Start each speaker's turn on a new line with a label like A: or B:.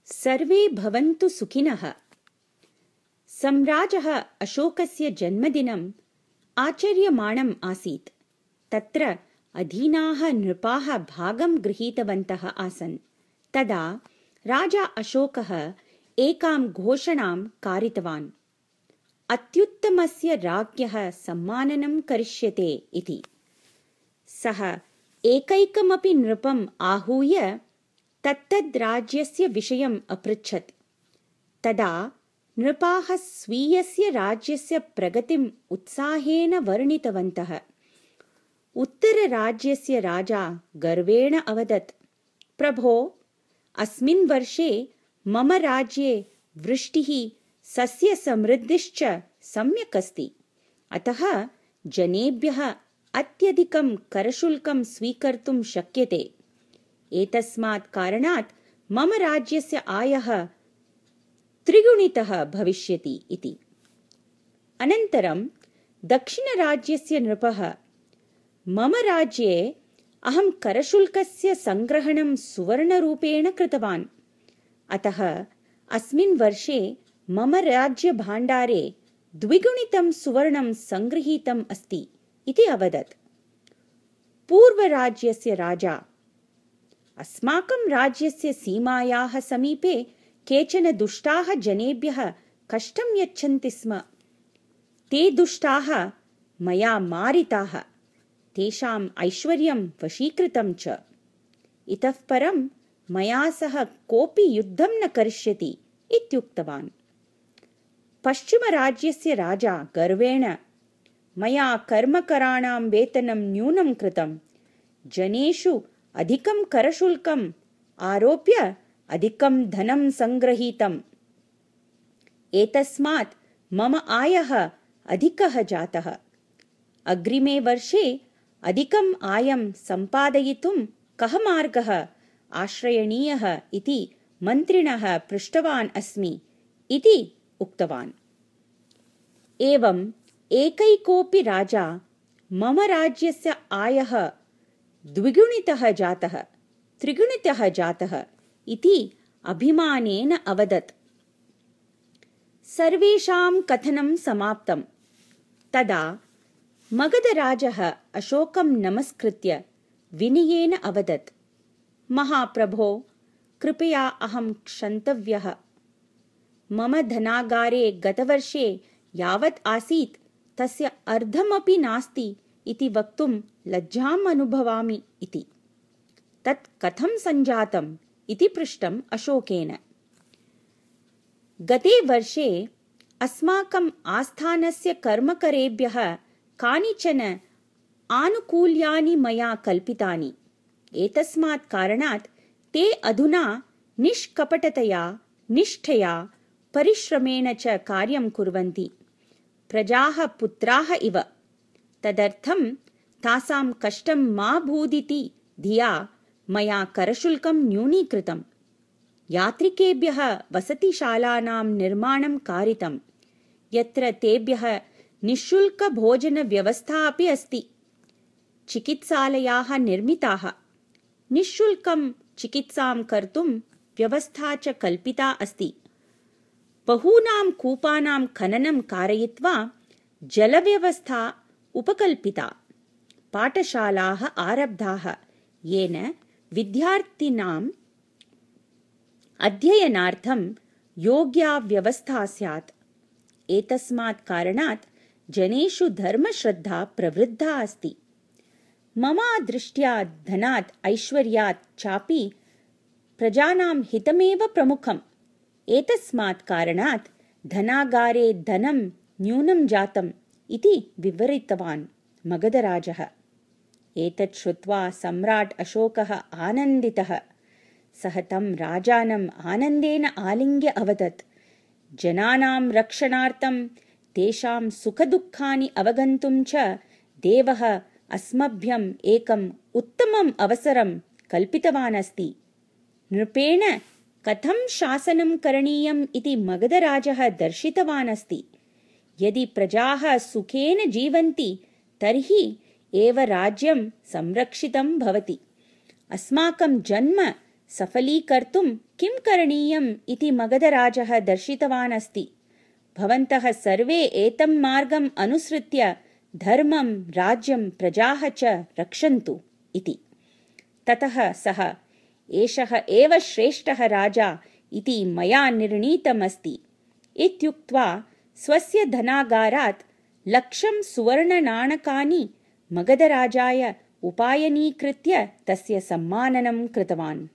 A: सर्वे भवन्तु सुखिनः। सम्राजः अशोकस्य जन्मदिनम् आचर्यमाणम् आसीत्। तत्र अधीनाः नृपाः भागं गृहीतवन्तः आसन्। तदा राजा अशोकः एकां घोषणां कारितवान्। अत्युत्तमस्य राज्ञः सम्माननं करिष्यते इति। सः एकैकमपि नृपम् आहूय तत्तद् राज्यस्य विषयम् अपृच्छत्। तदा नृपाः स्वीयस्य राज्यस्य प्रगतिम् उत्साहेन वर्णितवन्तः। उत्तरराज्यस्य राजा गर्वेण अवदत्, प्रभो, अस्मिन् वर्षे मम राज्ये वृष्टिः सस्यसमृद्धिश्च सम्यक् अस्ति। अतः जनेभ्यः अत्यधिकं करशुल्कं स्वीकर्तुं शक्यते। एतस्मात् कारणात् मम राज्यस्य आयः त्रिगुणितः भविष्यति इति। अनन्तरं दक्षिणराज्यस्य नृपः, मम राज्ये अहं करशुल्कस्य सङ्ग्रहणं सुवर्णरूपेण कृतवान्। अतः अस्मिन् वर्षे मम राज्यभाण्डारे द्विगुणितं सुवर्णं सङ्गृहीतम् अस्ति इति अवदत्। पूर्वराज्यस्य राजा, अस्माकं राज्यस्य सीमायाः समीपे केचन दुष्टाः जनेभ्यः कष्टं यच्छन्ति स्म। ते दुष्टाः मया मारिताः, तेषाम् ऐश्वर्यं वशीकृतं च। इतः परं मया सह कोऽपि युद्धं न करिष्यति इत्युक्तवान्। पश्चिमराज्यस्य राजा गर्वेण, मया कर्मकराणां वेतनं न्यूनं कृतं, जनेषु अधिकं करशुल्कम् आरोप्य अधिकं धनं सङ्गृहीतम्। एतस्मात् मम आयः अधिकः जातः। अग्रिमे वर्षे अधिकम् आयं सम्पादयितुं कः मार्गः आश्रयणीयः इति मन्त्रिणः पृष्टवान् अस्मि इति उक्तवान्। एवम् एकैकोऽपि राजा मम राज्यस्य आयः द्विगुणितः जातः, त्रिगुणितः जातः इति अभिमानेन अवदत्। सर्वेषां कथनं समाप्तं। तदा मगधराजः अशोकं नमस्कृत्य विनयेन अवदत्, महाप्रभो, कृपया अहं क्षन्तव्यः। मम धनागारे गतवर्षे यावत् आसीत् तस्य अर्धमपि नास्ति इति वक्तुं लज्जाम् अनुभवामि इति। तत् कथं सञ्जातम् इति पृष्टम् अशोकेन। गते वर्षे अस्माकम् आस्थानस्य कर्मकरेभ्यः कानिचन आनुकूल्यानि मया कल्पितानि। एतस्मात् कारणात् ते अधुना निष्कपटतया, निष्ठया, परिश्रमेण च कार्यं कुर्वन्ति, प्रजाः पुत्राः इव। तदर्थं तासां कष्टं मा भूदिति धिया मया करशुल्कं न्यूनीकृतम्। यात्रिकेभ्यः वसतिशालानां निर्माणं कारितम्, यत्र तेभ्यः निःशुल्कभोजनव्यवस्था अपि अस्ति। चिकित्सालयाः निर्मिताः, निःशुल्कं चिकित्सां कर्तुं व्यवस्था च कल्पिता अस्ति। बहूनां कूपानां खननं कारयित्वा जलव्यवस्था उपकल्पिता। पाठशालाः आरब्धाः, येन विद्यार्थिनाम् अध्ययनार्थं योग्या व्यवस्था स्यात्। एतस्मात् कारणात् जनेषु धर्मश्रद्धा प्रवृद्धा अस्ति। मम दृष्ट्या धनात्, ऐश्वर्यात् चापि प्रजानां हितमेव प्रमुखम्। एतस्मात् कारणात् धनागारे धनं न्यूनं जातम् इति विवरितवान् मगधराजः। एतत् श्रुत्वा सम्राट् अशोकः आनन्दितः। सः तं राजानम् आनन्देन आलिङ्ग्य अवदत्, जनानां रक्षणार्थं, तेषां सुखदुःखानि अवगन्तुं च देवः अस्मभ्यम् एकम् उत्तमम् अवसरं कल्पितवान् अस्ति। नृपेण कथं शासनं करणीयम् इति मगधराजः दर्शितवान् अस्ति। यदि प्रजाः सुखेन जीवन्ति तर्हि एव राज्यं संरक्षितं भवति। अस्माकं जन्म सफलीकर्तुं किं करणीयम् इति मगधराजः दर्शितवान् अस्ति। भवन्तः सर्वे एतं मार्गम् अनुसृत्य धर्मं, राज्यं, प्रजाः च रक्षन्तु इति। ततः सः एषः एव श्रेष्ठः राजा इति मया निर्णीतमस्ति इत्युक्त्वा स्वस्य धनागारात् 1,00,000 सुवर्णनाणकानि मगधराजाय उपायनीकृत्य तस्य सम्माननं कृतवान्।